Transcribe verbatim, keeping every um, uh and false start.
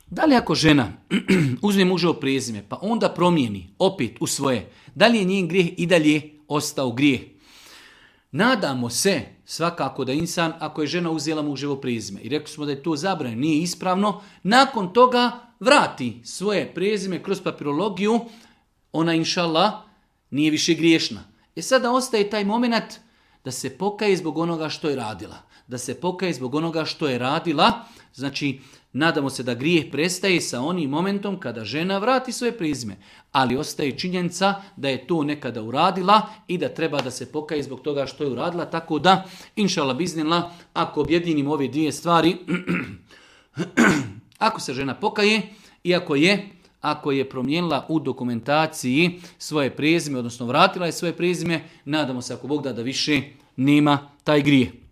Da li ako žena uzme muževo prezime, pa onda promijeni opet u svoje, da li je njen grijeh i dalje ostao grijeh? Nadamo se svakako da insan, ako je žena uzela muževo prezime i rekli smo da je to zabranjeno, nije ispravno, nakon toga vrati svoje prezime kroz papirologiju, ona inšallah nije više griješna. E sada ostaje taj moment da se pokaje zbog onoga što je radila. Da se pokaje zbog onoga što je radila, znači nadamo se da grijeh prestaje sa onim momentom kada žena vrati svoje prezime. Ali ostaje činjenica da je to nekada uradila i da treba da se pokaje zbog toga što je uradila. Tako da, inšallah biznillah, ako objedinimo ove dvije stvari, ako se žena pokaje i ako je, ako je promijenila u dokumentaciji svoje prezime, odnosno vratila je svoje prezime, nadamo se ako Bog da da više nema taj grijeh.